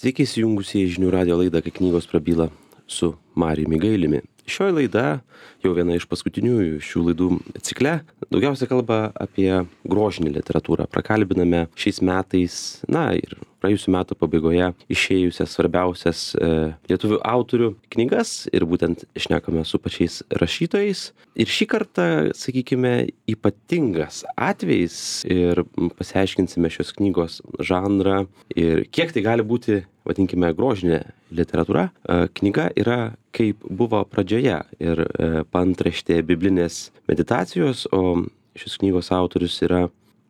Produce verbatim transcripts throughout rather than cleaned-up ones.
Sveiki įsijungusieji į žinių radijo laidą, kai knygos prabyla su Marijumi Gailiumi. Šioji laida, jau viena iš paskutiniųjų šių laidų cikle, daugiausia kalba apie grožinę literatūrą. Prakalbiname šiais metais, na ir praėjusių metų pabaigoje išėjusias svarbiausias e, lietuvių autorių knygas ir būtent šnekame su pačiais rašytojais. Ir šį kartą, sakykime, ypatingas atvejis ir pasiaiškinsime šios knygos žanrą ir kiek tai gali būti, vadinkime, grožinė literatūra. E, knyga yra Kaip buvo pradžioje ir e, paantraštė biblinės meditacijos, o šios knygos autorius yra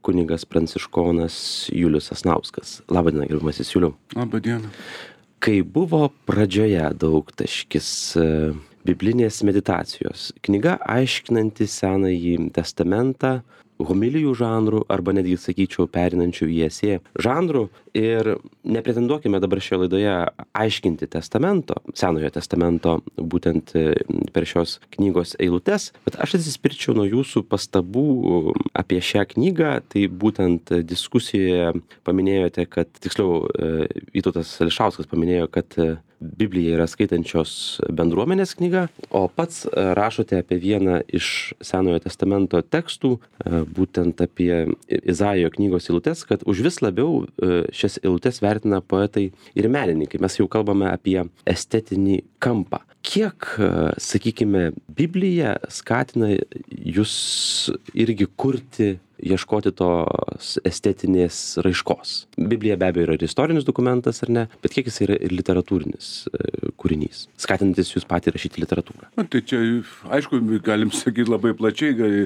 kunigas pranciškonas Julius Sasnauskas. Labą dieną, gerbiamasis Juliau. Labą dieną. Kai buvo pradžioje daugtaškis biblinės meditacijos, knyga aiškinanti Senąjį testamentą homilijų žanrų arba netgi, sakyčiau, perinančių į esė žanrų. Ir nepretenduokime dabar šioje laidoje aiškinti testamento, Senojo testamento, būtent per šios knygos eilutes, bet aš atsispirčiau nuo jūsų pastabų apie šią knygą. Tai būtent diskusijoje paminėjote, kad, tiksliau, Vytautas Ališauskas paminėjo, kad Biblija yra skaitančios bendruomenės knyga, o pats rašote apie vieną iš Senojo testamento tekstų, būtent apie Izaijo knygos eilutes, kad už vis labiau šias eilutes vertina poetai ir menininkai. Mes jau kalbame apie estetinį kampą. Kiek, sakykime, Biblija skatina jūs irgi kurti, ieškoti tos estetinės raiškos? Biblija be abejo yra ir istorinis dokumentas, ar ne, bet kiek jis yra ir literatūrinis kūrinys, skatinantis jūs patį rašyti literatūrą? Na, tai čia, aišku, galim sakyti labai plačiai, gali,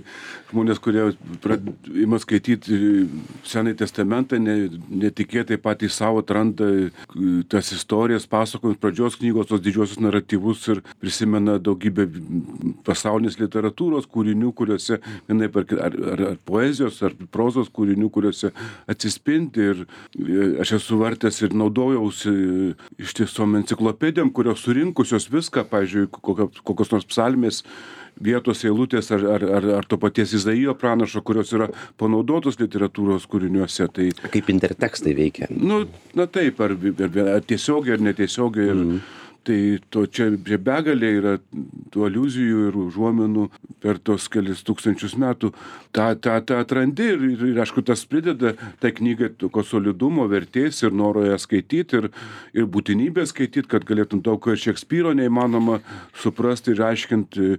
žmonės, kurie prad, ima skaityti Senąjį testamentą, ne, netikėtai patys savo atranda tas istorijas, pasakojimus, pradžios knygos, tos didžiosius naratyvus ir prisimena daugybę pasaulinės literatūros kūrinių, kuriuose vienaip ar, ar, ar, ar poezijos, ar prozos kūrinių, kuriuose atsispindi. Ir aš esu vartęs ir naudojausi iš tiesom enciklopedijom, kurios surinkusios viską, pavyzdžiui, kokios nors psalmės vietos eilutės ar, ar, ar, ar to paties Izaijo pranašo, kurios yra panaudotos literatūros kūriniuose. Tai, kaip intertekstai veikia? Nu, na taip, ar, ar, ar tiesiogiai, ar netiesiogiai. Ir, mm. Tai to čia begalė yra tų aliuzijų ir užuominų per tos kelis tūkstančius metų. Ta, ta, ta atrandi ir, ir, ir aišku, tas prideda tai knygai tokio solidumo, vertės ir noro ją skaityti ir, ir būtinybę skaityti, kad galėtum daug ko ir Šekspyro neįmanoma suprasti ir aiškinti,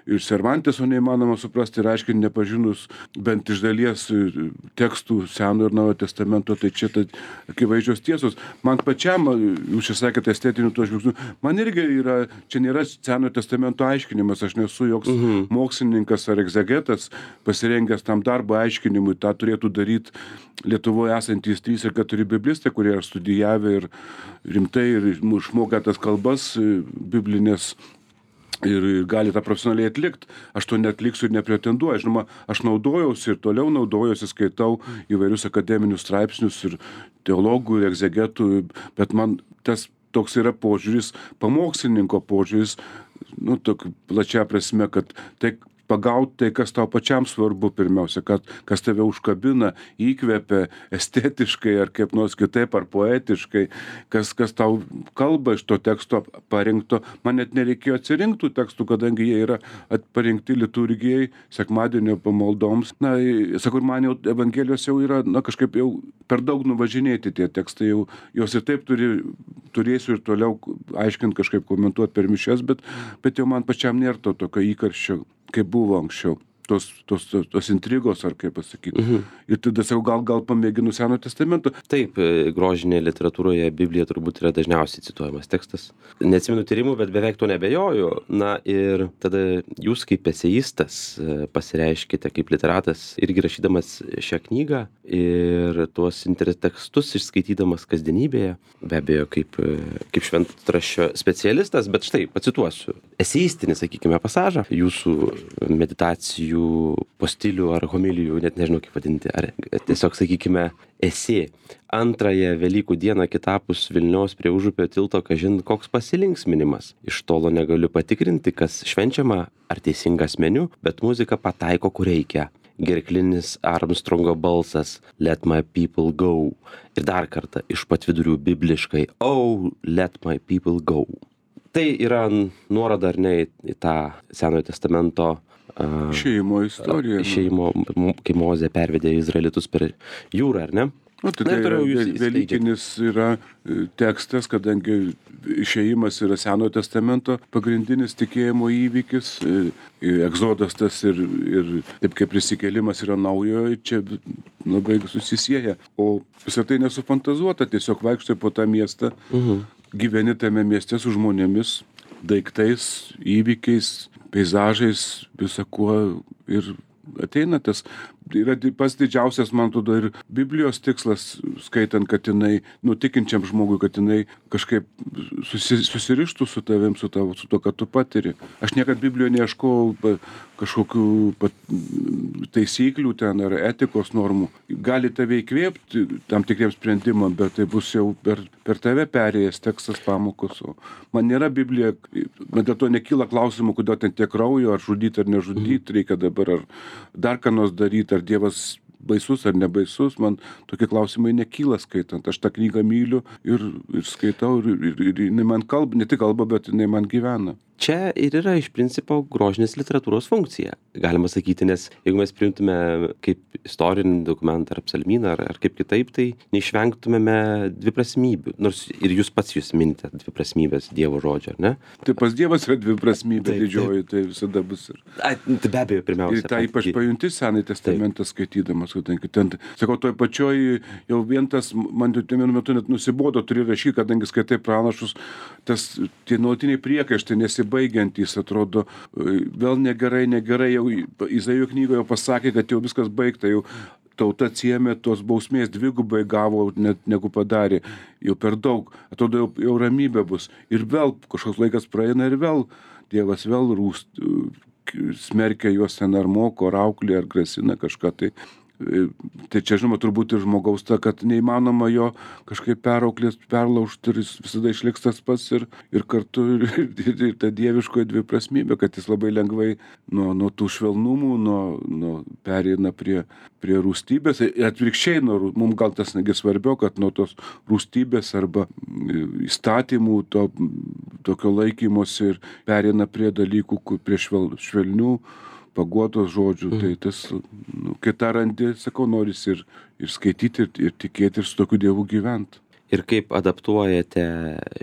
ir Cervanteso neįmanoma suprasti ir aiškinti, nepažinus bent iš dalies tekstų Senojo ir Naujojo testamento. Tai čia tai akivaizdžios tiesos. Man pačiam, jūs čia sakėte, estetinių to žvilgsnių, man irgi yra, čia nėra Senojo testamento aiškinimas, aš nesu joks mhm. mokslininkas ar egzegetas, pasirengęs tam darbo aiškinimui. Ta turėtų daryti Lietuvoje esantys trys ir keturi biblistai, kurie yra studijavę ir rimtai ir išmokę tas kalbas biblinės ir gali tą profesionaliai atlikti. Aš to neatliksiu ir nepretenduoju. Žinoma, aš naudojausi ir toliau naudojausi, skaitau įvairius akademinius straipsnius ir teologų ir egzegetų, bet man tas toks yra požiūris, pamokslininko požiūris, nu, tok, plačia prasme, kad tai pagauti tai, kas tau pačiam svarbu pirmiausia, kad, kas tave užkabina, įkvepia estetiškai ar kaip nors kitaip, ar poetiškai, kas, kas tau kalba iš to teksto parinkto. Man net nereikėjo atsirinktų tekstų, kadangi jie yra parinkti liturgijai, sekmadienio pamaldoms. Na, sakau, man jau Evangelijos jau yra, na, kažkaip jau per daug nuvažinėti tie tekstai, jau, jos ir taip turi, turėsiu ir toliau aiškinti, kažkaip komentuoti per mišias, bet, bet jau man pačiam nėra to tokio įkarščio, kaip buvo anksčiau. Tos, tos, tos, tos intrigos, ar kaip pasakyti. Mhm. Ir tada sakau, gal, gal pamėginu Senojo testamento. Taip, grožinėje literatūroje Biblija turbūt yra dažniausiai cituojamas tekstas. Neatsimenu tyrimų, bet beveik to nebejoju. Na ir tada jūs kaip eseistas pasireiškite kaip literatas irgi rašydamas šią knygą ir tuos intertekstus išskaitydamas kasdienybėje. Be abejo, kaip, kaip šventraščio specialistas, bet štai, pacituosiu. Eseistinį, sakykime, pasažą jūsų meditacijų po stilių ar homilijų, net nežinau kaip vadinti, ar tiesiog, sakykime, esė. Antrąją Velykų dieną kitapus Vilniaus prie Užupio tilto, kažin koks pasilinksminimas. Iš tolo negaliu patikrinti, kas švenčiama ar teisingas meniu, bet muzika pataiko, kur reikia. gerklinis Armstrongo balsas Let my people go. Ir dar kartą iš pat vidurių bibliškai Oh, let my people go. Tai yra nuoroda ar ne į tą Senojo testamento uh, Išėjimo istorija. Išėjimo, kai Mozė pervedė Izraelitus per jūrą, ar ne? O, tai tai yra velykinis yra tekstas, kadangi išėjimas yra Senojo testamento pagrindinis tikėjimo įvykis, egzodas tas ir, ir taip kaip prisikėlimas yra naujojo, čia labai susisieja. O visą tai nesufantazuota, tiesiog vaikštai po tą miestą, mhm. gyveni tame mieste su žmonėmis, daiktais, įvykiais, peizažais, visakuo ir ateina tas, yra pats didžiausias, man atrodo, ir Biblijos tikslas, skaitant, kad jinai, nutikinčiam žmogui, kad jinai kažkaip susi, susirištų su tavim, su, tavo, su to, kad tu patiri. Aš niekad Biblijoje neieškau kažkokių pat, taisyklių ten ar etikos normų. Gali tave įkvėpti tam tikriems sprendimam, bet tai bus jau per, per tave perėjęs tekstas pamokos. O man nėra Biblija, man dėl to nekyla klausimų, kodėl ten tiek kraujo, ar žudyti, ar nežudyti, reikia dabar, ar dar ką nors daryti, ar Dievas baisus ar nebaisus, man tokie klausimai nekyla skaitant. Aš tą knygą myliu ir, ir skaitau, ir, ir, ir jinai man kalba, ne tik kalba, bet jinai man gyvena. Čia ir yra iš principo grožinės literatūros funkcija, galima sakyti, nes jeigu mes priimtume kaip istorinį dokumentą ar psalmyną ar, ar kaip kitaip, tai neišvengtumėme dviprasmybių, nors ir jūs pats jūs minite dviprasmybės Dievo žodžio, ar ne? Tai pas Dievas yra dviprasmybė didžioji, tai visada bus ir... A, tai be abejo, pirmiausia. Ir tą ypač pajunti Senąjį testamentą skaitydamas, kadangi ten, sakau, toj pačioj jau vien tas, man vienu metu net nusibodo turi rašyti, kadangi skaitai pranašus, tas tie nuolatiniai priekaištai nesibaigiantys, atrodo, vėl negerai, negerai, jau Izaijo knygoje jau pasakė, kad jau viskas baigta, jau tauta atsiėmė tos bausmės dvigubai gavo, net negu padarė, jau per daug, atrodo, jau, jau ramybė bus. Ir vėl kažkoks laikas praeina ir vėl Dievas vėl rūst, smerkia juos ten ar moko, ar auklė, ar grasina kažką tai. Tai čia, žinoma, turbūt ir žmogaus ta, kad neįmanoma jo kažkaip perauklės, perlaužti ir jis visada išliks tas pats ir, ir kartu ir, ir, ir ta dieviškoji dviprasmybė, kad jis labai lengvai nuo, nuo tų švelnumų, nuo, nuo pereina prie, prie rūstybės ir atvirkščiai, nuo, mums gal tas negi svarbiau, kad nuo tos rūstybės arba įstatymų, to, tokio laikymosi ir pereina prie dalykų, prie švel, švelnių, paguodos žodžių, mm. tai tas, nu, kai tą randi, sakau, noris ir, ir skaityti, ir, ir tikėti, ir su tokiu Dievu gyventi. Ir kaip adaptuojate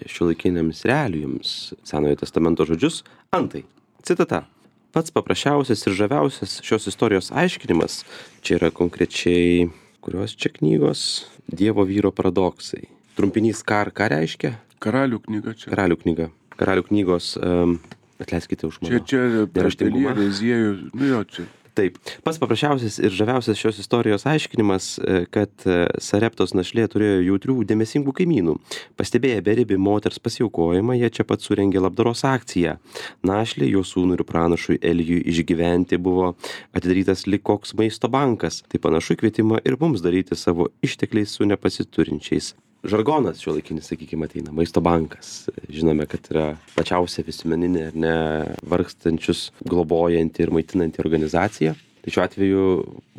šiuolaikiniams realijoms Senojo testamento žodžius? Antai, citata. Pats paprasčiausias ir žaviausias šios istorijos aiškinimas, čia yra konkrečiai, kurios čia knygos, Dievo vyro paradoksai. Trumpinys kar, ką reiškia? Karalių knyga čia. Karalių knyga. Karalių knygos... Um, Atleiskite už mano neraštingumą. Čia, čia, nu jo, čia. Taip. Pats paprasčiausias ir žaviausias šios istorijos aiškinimas, kad Sareptos našlė turėjo jautrių, dėmesingų kaimynų. Pastebėję beribį moters pasiaukojimą, jie čia pat surengė labdaros akciją. Našlė, jo sūnui ir pranašui Elijui išgyventi buvo atidarytas lyg koks maisto bankas. Tai panašu į kvietimą ir mums daryti savo ištekliais su nepasiturinčiais. Žargonas šiuolaikinis, sakykime, ateina, maisto bankas. Žinome, kad yra plačiausia visuomeninė ar ne vargstančius globojanti ir maitinanti organizacija. Tai šiuo atveju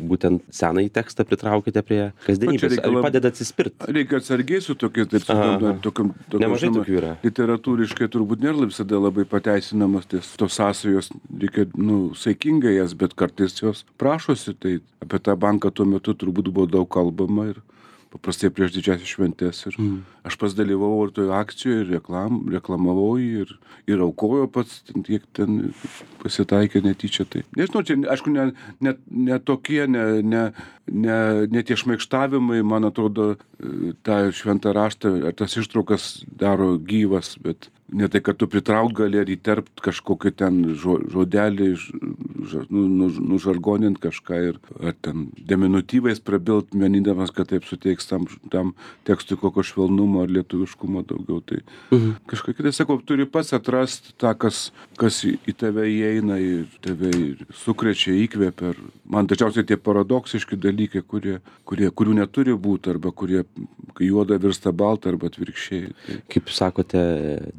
būtent senąjį tekstą pritraukite prie kasdienybės. Ar padeda atsispirti? Reikia atsargiai su tokiais, taip sakant, tokiam, tokiam, nemažai tokių yra. Literatūriškai turbūt nėra visada labai pateisinamas, ties tos sąsajos reikia, nu, saikingai jas, bet kartais jos prašosi. Tai apie tą banką tuo metu turbūt buvo daug kalbama ir paprastai prieš didžiasias šventes. Ir mm. aš pats dalyvavau ir toje akcijoje, ir reklam, reklamavau ir, ir aukojo pats, tiek ten pasitaikė netyčia. Tai. Nežinau, čia, aišku, ne, ne, ne tokie, ne, ne, ne, ne tie šmaikštavimai, man atrodo, tą šventą raštą, ar tas ištraukas daro gyvas, bet ne tai, kad tu pritraukt gali ar įterpt kažkokį ten žodelį, nužargonint kažką ir ar ten deminutyvais prabilt, menindamas, kad taip suteiks tam, tam tekstui kokio švelnumo ar lietuviškumo daugiau. Tai mhm. kažkokia, tai sakau, turi pats atrast tą, kas, kas į tave įeina ir tave sukrečia, įkvėpia. Man dažniausiai tie paradoksiški dalykai, kurie, kurie, kurių neturi būti arba kurie kai juoda virsta balta arba atvirkščiai. Tai... Kaip jūs sakote,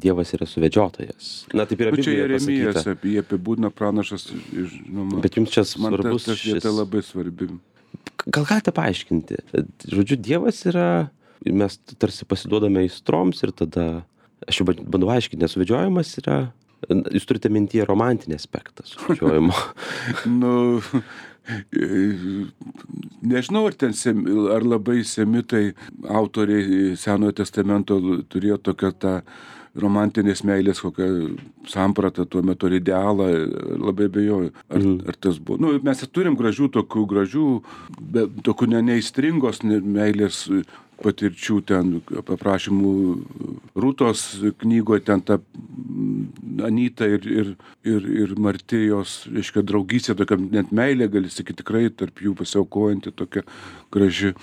Dievas yra suvedžiotojas. Na, taip yra Nu, čia Biblijoje Jeremijas pasakyta. apie jį apibūdina pranašas. Žinoma, Bet jums čia man ta, svarbus ta vieta šis... labai svarbi. Gal galite paaiškinti? Žodžiu, Dievas yra, mes tarsi pasiduodame aistroms ir tada, aš jau bandau aiškinti, nes suvedžiojimas yra, jūs turite mintyje romantinį aspektą suvedžiojimo. Nu, nežinau, ar ten sem, ar labai semitai autoriai Senojo testamento turėjo tokią tą romantinės meilės kokią sampratą tuo metu, ar idealą, labai abejoju. Ar, mm. ar tas buvo. Nu, mes turim gražių tokių, gražių, be, tokių ne, neįstringos meilės patirčių ten, paprašymų Rūtos knygoje, ten ta Anyta ir, ir, ir, ir Martijos, reiškia, draugystė, tokia net meilė, gali sakyti, tikrai tarp jų pasiaukojanti, tokia graži.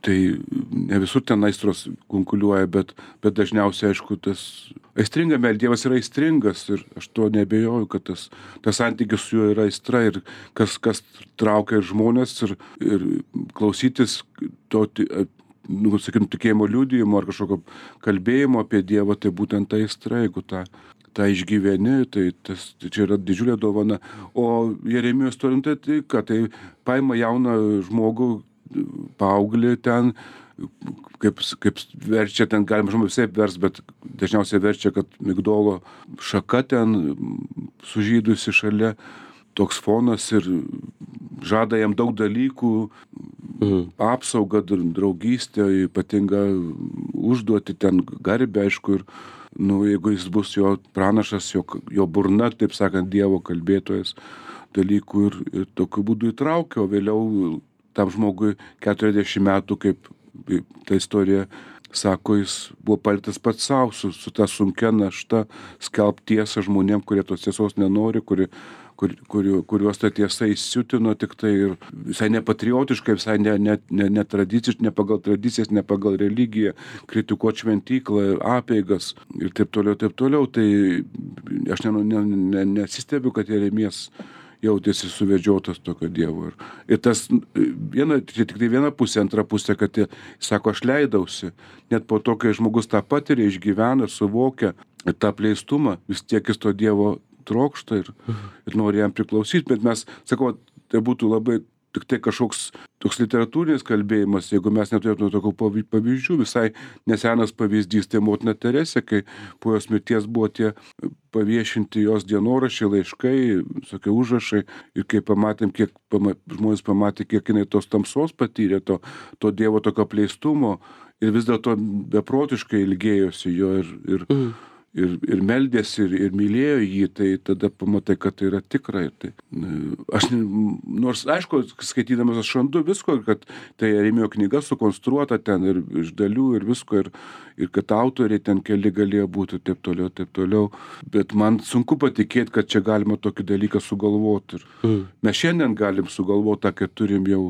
Tai ne visur ten aistros kunkuliuoja, bet, bet dažniausiai, aišku, tas aistringa meilė, Dievas yra aistringas ir aš to neabejoju, kad tas, tas santykis su juo yra aistra ir kas, kas traukia ir žmonės ir, ir klausytis to, nu, sakykim, tikėjimo liudijimo ar kažkokio kalbėjimo apie Dievą, tai būtent ta aistra, jeigu tą, tą išgyveni, tai, tas, tai čia yra didžiulė dovana. O Jeremijos turim, tai, tai ką, tai paima jauną žmogų, paauglį ten, kaip, kaip verčia ten, galima žmogų visai vers, bet dažniausiai verčia, kad Migdolo šaka ten sužydusi šalia, toks fonas ir žada jam daug dalykų, mhm. apsaugą, draugystę, ypatingą užduoti ten garbę, aišku, ir nu, jeigu jis bus jo pranašas, jo, jo burna, taip sakant, Dievo kalbėtojas dalykų ir, ir tokiu būdu įtraukia, o vėliau tam žmogui keturiasdešimt metų, kaip ta istorija sako, jis buvo paliktas pats savo, su, su ta sunkia našta skelbti tiesą žmonėm, kurie tos tiesos nenori, kuri Kur, kur, kuriuos ta tiesa įsiutino tik tai ir visai nepatriotiškai, visai ne, ne, ne, ne, tradiciškai, ne pagal tradicijas, ne pagal religiją, kritikuoti šventyklą, apeigas ir taip toliau, taip toliau. Tai aš ne, ne, ne, nesistebiu, kad Jeremijas jautėsi suvedžiotas tokio Dievo. Ir, ir tas viena, čia tik tai viena pusė, antra pusė, kad jis sako, aš leidausi. Net po to, kai žmogus tą patiria, išgyvena, suvokia tą pleistumą, vis tiek jis to Dievo trokšta ir, ir nori jam priklausyti, bet mes, sakau, tai būtų labai tik tai kažkoks toks literatūrinis kalbėjimas, jeigu mes neturėtume tokių pavyzdžių. Visai nesenas pavyzdys, tai motina Teresė, kai po jos mirties buvo tie paviešinti jos dienoraščiai, laiškai, tokie užrašai, ir kai pamatėm, kiek pama, žmonės pamatė, kiek jinai tos tamsos patyrė, to, to Dievo tokio pleistumo, ir vis dėlto beprotiškai ilgėjosi jo ir, ir mm. Ir, ir meldėsi, ir, ir mylėjo jį, tai tada pamatai, kad tai yra tikra. Tai, aš, nors, aišku, skaitydamas aš randu visko, kad tai Jeremijo knyga sukonstruota ten ir iš dalių ir visko, ir, ir kad autoriai ten keli galėjo būti, taip toliau, taip toliau. Bet man sunku patikėti, kad čia galima tokį dalyką sugalvoti. Ir mm. mes šiandien galim sugalvoti, kad turim jau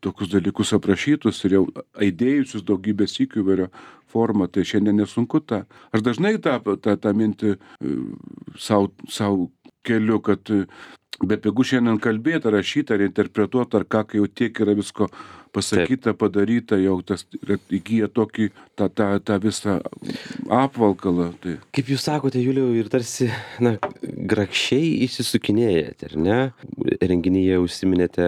tokius dalykus aprašytus ir jau aidėjusius daugybę sykių įvairio formą, tai šiandien nesunku tą. Aš dažnai tą, tą, tą mintį savo, savo keliu, kad bepigu šiandien kalbėti, rašyti, ar interpretuoti, ar ką, kai jau tiek yra visko pasakyta, Taip. padaryta, jau tas įgyja tokį tą, tą, tą visą apvalkalą. Tai. Kaip jūs sakote, Juliau, ir tarsi, na, grakščiai įsisukinėjate, ar ne? Renginyje užsiminėte,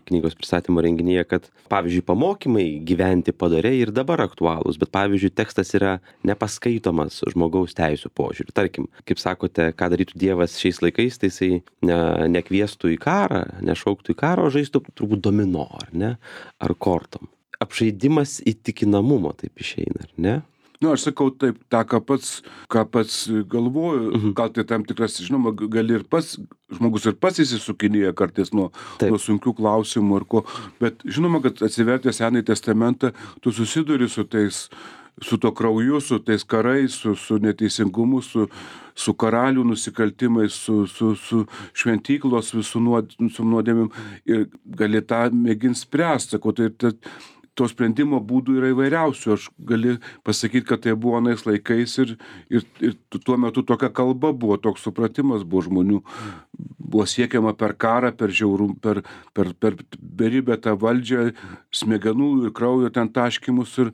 knygos pristatymo renginyje, kad, pavyzdžiui, pamokymai gyventi padoriai ir dabar aktualūs, bet, pavyzdžiui, tekstas yra nepaskaitomas žmogaus teisų požiūriu. Tarkim, kaip sakote, ką darytų Dievas šiais laikais, tai jisai ne, nekviestų į karą, nešauktų į karą, o žaistų turbūt domino, ar ne? Ar kortom. Apžaidimas įtikinamumo taip išeina, ar ne? Nu, aš sakau taip, tą, ką pats, ką pats galvoju, mhm. gal tai tam tikras, žinoma, gali ir pats, žmogus ir pats įsisukinėja kartais nuo, nuo sunkių klausimų ir ko, bet žinoma, kad atsivertęs Senąjį testamentą, tu susiduri su tais, su to krauju, su tais karais, su, su neteisingumu, su, su karalių nusikaltimais, su, su, su šventyklos visų nuod, su nuodėmėm ir gali tą mėginti spręsti. Sakau, tai, tai to sprendimo būdų yra įvairiausių. Aš gali pasakyti, kad tai buvo anais laikais ir, ir, ir tuo metu tokia kalba buvo, toks supratimas buvo žmonių. buvo siekiama per karą, per žiaurum, per, per, per beribę tą valdžią, smegenų ir kraujo ten taškymus ir,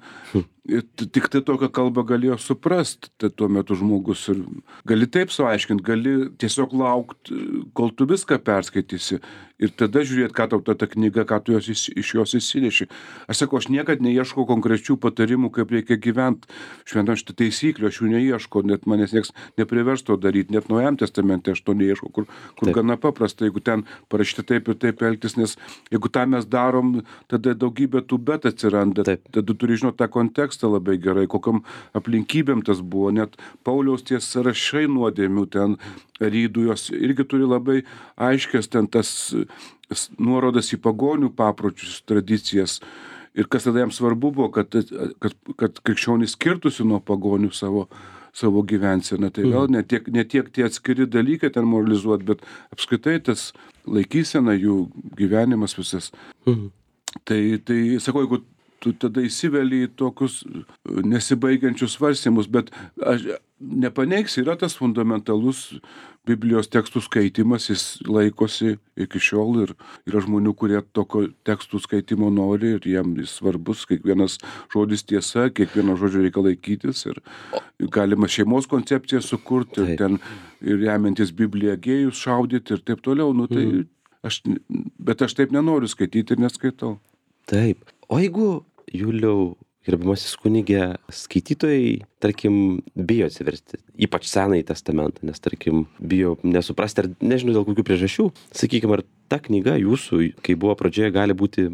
ir tik tai tokią kalbą galėjo suprast tai tuo metu žmogus ir gali taip suaiškint, gali tiesiog laukt, kol tu viską perskaitysi ir tada žiūrėt, ką tau ta, ta knyga, ką tu jos, iš jos įsineši. Aš sakau, aš niekad neieškau konkrečių patarimų, kaip reikia gyventi šventam šitą taisyklių, aš jų neieškau, net manęs nieks neprivers to daryti, net Naujajam testamente aš to neieškau, kur, kur gana paprasta, jeigu ten parašyta taip ir taip elgtis, nes jeigu tą mes darom, tada daugybė tų bet atsiranda, taip. Tada turi žinoti tą kontekstą labai gerai, kokiam aplinkybėm tas buvo, net Pauliaus tie sąrašai nuodėmių ten rydų, jos irgi turi labai aiškias ten tas nuorodas į pagonių papročius, tradicijas. Ir kas tada jam svarbu buvo, kad, kad, kad krikščionys skirtųsi nuo pagonių savo, savo gyvenseną. Tai vėl ne tiek, ne tiek tie atskiri dalykai ten moralizuoti, bet apskritai tas laikysena, jų gyvenimas visas. Mhm. Tai, tai sakau, jeigu tu tada įsiveli į tokius nesibaigiančius svarstymus, bet aš nepaneigsi, yra tas fundamentalus Biblijos tekstų skaitimas, jis laikosi iki šiol ir yra žmonių, kurie tokio tekstų skaitimo nori ir jiem jis svarbus, kiekvienas žodis tiesa, kiekvieno žodžio reikia laikytis ir galima šeimos koncepciją sukurti ir ten ir remiantis Bibliją gėjus šaudyti ir taip toliau, nu tai mm. aš, bet aš taip nenoriu skaityti ir neskaitau. Taip. O jeigu, Juliau, gerbiamasis kunige, skaitytojai, tarkim, bijo atsiversti, ypač Senąjį testamentą, nes, tarkim, bijo nesuprasti, ar nežinau dėl kokių priežasčių, sakykime, ar ta knyga jūsų, kai buvo pradžioje, gali būti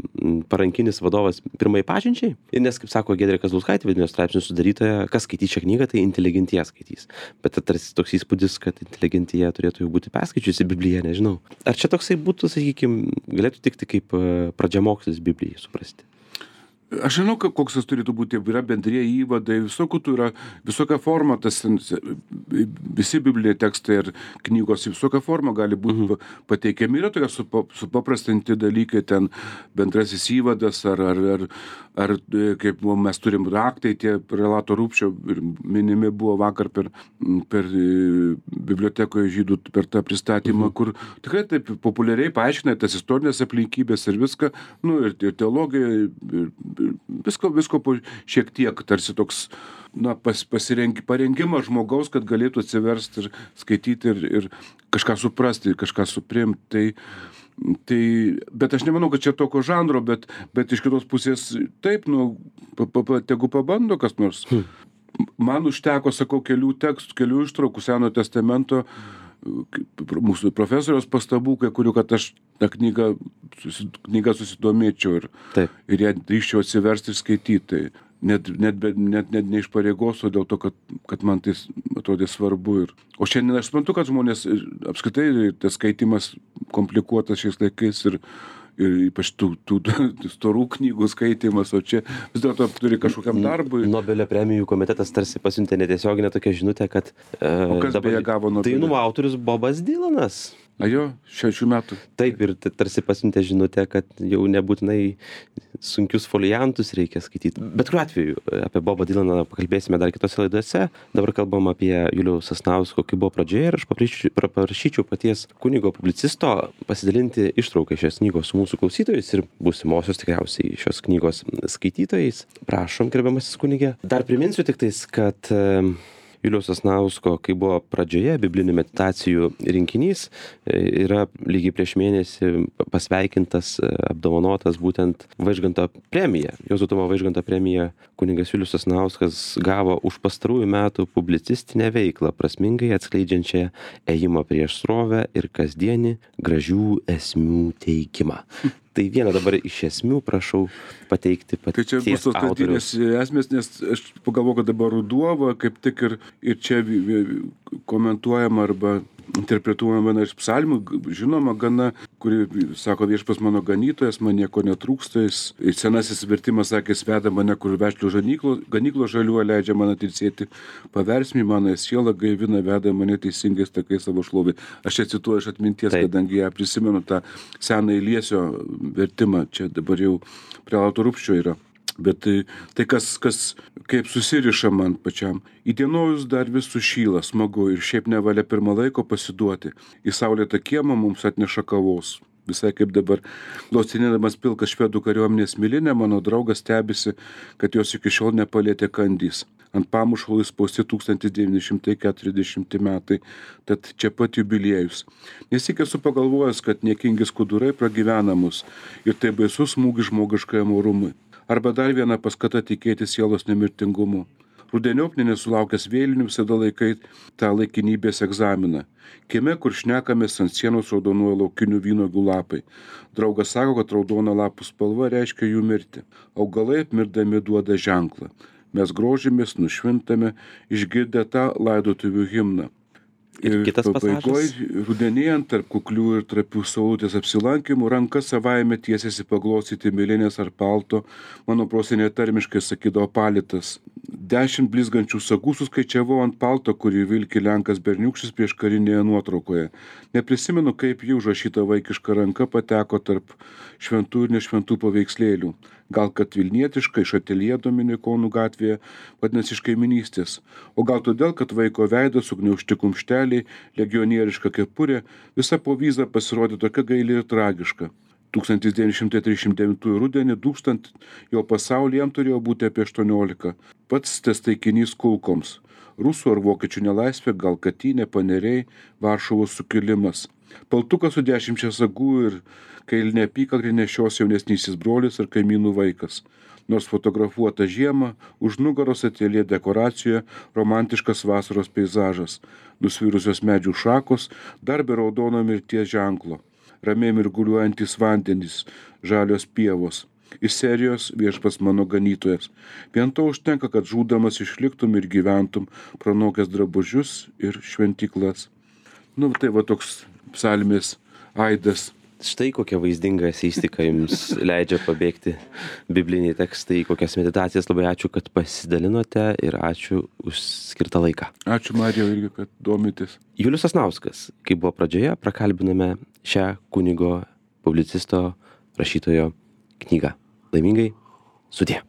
parankinis vadovas pirmai pažinčiai? Ir nes, kaip sako Giedrė Kazlauskaitė, vidinio straipsnių sudarytoja, kas skaitys šią knygą, tai inteligentija skaitys. Bet tarsi toks įspūdis, kad inteligentija turėtų jau būti perskaičiusi Bibliją, nežinau. Ar čia toksai būtų, sakykime, galėtų tikti kaip pradžiamokslis Biblijai suprasti? Aš žinau, koks tas turėtų būti, yra bendrieji įvadai, visokių tų yra, visokia forma, tas, visi bibliniai tekstai ir knygos visokia forma gali būti mhm. pateikiami. Yra tokie supaprastinti dalykai, ten bendrasis įvadas, ar, ar, ar, ar kaip mes turim raktai, tie prelato Rupšio minimi buvo vakar per, per bibliotekoje žydų, per tą pristatymą, mhm. kur tikrai taip populiariai paaiškina tas istorinės aplinkybės ir viską, nu ir, ir teologija, ir, Visko, visko šiek tiek, tarsi toks na, pas, pasirengi, parengimas žmogaus, kad galėtų atsiversti ir skaityti ir, ir kažką suprasti, kažką suprimti. Tai, tai, bet aš nemanau, kad čia tokio žanro, bet, bet iš kitos pusės taip, nu, pa, pa, tegu pabando kas nors. Hmm. Man užteko, sakau, kelių tekstų, kelių ištraukų Senojo testamento, mūsų profesoriaus pastabų, kai kurių, kad aš tą knygą, susi, knygą susidomėčiau ir, ir ją drįščiau atsiversti ir skaityti. Tai net, net, net, net ne iš pareigos, o dėl to, kad, kad man tai atrodė svarbu. Ir, o šiandien aš suprantu, kad žmonės apskritai tas skaitimas komplikuotas šiais laikais ir ir ypač tų, tų, tų storų knygų skaitimas, o čia vis dėlto turi kažkokiam darbui. Nobelio premijų komitetas tarsi pasiuntė netiesioginę tokią žinutę, kad o kas dabar beje gavo Nobelio? Dainų autorius Bobas Dylanas. A jo, šešių metų. Taip, ir tarsi pasiuntė žinutę, kad jau nebūtinai sunkius foliantus reikia skaityti. Bet kuriuo atveju apie Bobą Dylaną pakalbėsime dar kitose laidose. Dabar kalbam apie Juliaus Sasnausko, kai buvo pradžioje, ir aš paprašyčiau paties kunigo publicisto pasidalinti ištrauką šios knygos su mūsų klausytojais ir būsimosios tikriausiai šios knygos skaitytojais. Prašom, gerbiamasis kunige. Dar priminsiu tik tais, kad Juliaus Sasnausko, kai buvo pradžioje biblinių meditacijų rinkinys, yra lygiai prieš mėnesį pasveikintas, apdovanotas būtent Vaižganto premija. Juozo Tumo Vaižganto premija kunigas Julius Sasnauskas gavo už pastarųjų metų publicistinę veiklą, prasmingai atskleidžiančią ėjimą prieš srovę ir kasdienį gražių esmių teikimą. Tai vieną dabar iš esmių prašau pateikti paties autoriaus. Tai čia bus tos kasdienės esmės, nes aš pagalvoju, kad dabar ruduo, kaip tik ir, ir čia komentuojama arba interpretuojama viena iš psalmių, žinoma, gana, kuri sako, viešpas mano ganytojas, man nieko netrūksta, jis senasis vertimas sakė, sveda mane, kur vešlių ganyklo žaliuo leidžia man atilsėti, paversmį mano sielą gaivina, veda mane teisingais takais savo šlovai. Aš čia cituoju iš atminties, Taip. Kadangi ją prisimenu tą seną Iliesio vertimą, čia dabar jau prelato Rupščio yra. Bet tai, tai kas, kas kaip susiriša man pačiam. Įdienojus dar vis sušyla, smagu ir šiaip nevalia pirmą laiko pasiduoti. Į saulėtą kiemą mums atneša kavos. Visai kaip dabar, glostinėdamas pilką švedų kariuomenės milinę, mano draugas stebisi, kad jos iki šiol nepalėtė kandys. Ant pamušalų įspausti tūkstantis devyni šimtai keturiasdešimti metai, tad čia pat jubiliejus. Nesyk esu pagalvojęs, kad niekingi skudurai pragyvena mus ir tai baisus smūgis žmogiškajam orumui. Arba dar viena paskata tikėti sielos nemirtingumu. Rudeniop nesulaukęs vėlinių visada laikai tą laikinybės egzaminą. Kieme, kur šnekamės, ant sienos raudonuoja laukinių vynuogių lapai. Draugas sako, kad raudona lapų spalva reiškia jų mirtį. Augalai apmirdami duoda ženklą. Mes grožimės, nušvintame, išgirdę tą laidotuvių himną. Ir kitas pasažas. Rudenėjant tarp kuklių ir trapių saulutės apsilankimų, ranka savaime tiesiasi paglostyti milinės ar palto, mano prosenė tarmiškai sakydavo palitas. Dešimt blizgančių sagų suskaičiavau ant palto, kurį vilki lenkas berniukštis prieš karinėje nuotraukoje. Neprisimenu, kaip jų užrašyta vaikiška ranka pateko tarp šventų ir nešventų paveikslėlių. Gal kad vilnietiškai iš ateljė Dominikonų gatvėje, vadinasi iš kaiminystės. O gal todėl, kad vaiko veidas, sugniaužti kumšteliai, legionieriška kepurė, visa povyza pasirodė tokia gaili ir tragiška. tūkstantis devyni šimtai trisdešimt devintųjų rudenį dūkstant jo pasaulyje jam turėjo būti apie aštuoniolika. Pats tas taikinys kulkoms. Rusų ar vokiečių nelaisvė, gal Katynė, Paneriai, Varšuvos sukilimas. Paltukas su dešimčia sagų ir kailinė apykaklė nešios jaunesnysis brolis ir kaimynų vaikas. Nors fotografuota žiema, už nugaros ateljė dekoracijoje romantiškas vasaros peizažas. Nusvirusios medžių šakos, dar be raudono mirties ženklo. Ramiai mirguliuojantis vandenys, žalios pievos. Iš serijos Viešpats mano ganytojas. Vien to užtenka, kad žūdamas išliktum ir gyventum, pranokęs drabužius ir šventyklas. Nu, tai va toks psalmės aidas. Štai kokia vaizdinga eseistika jums leidžia pabėgti bibliniai tekstai, kokias meditacijas. Labai ačiū, kad pasidalinote ir ačiū už skirtą laiką. Ačiū, Marija, irgi, kad domitės. Julius Sasnauskas, kaip buvo pradžioje, prakalbiname šią kunigo, publicisto, rašytojo knygą. Laimingai, sudie.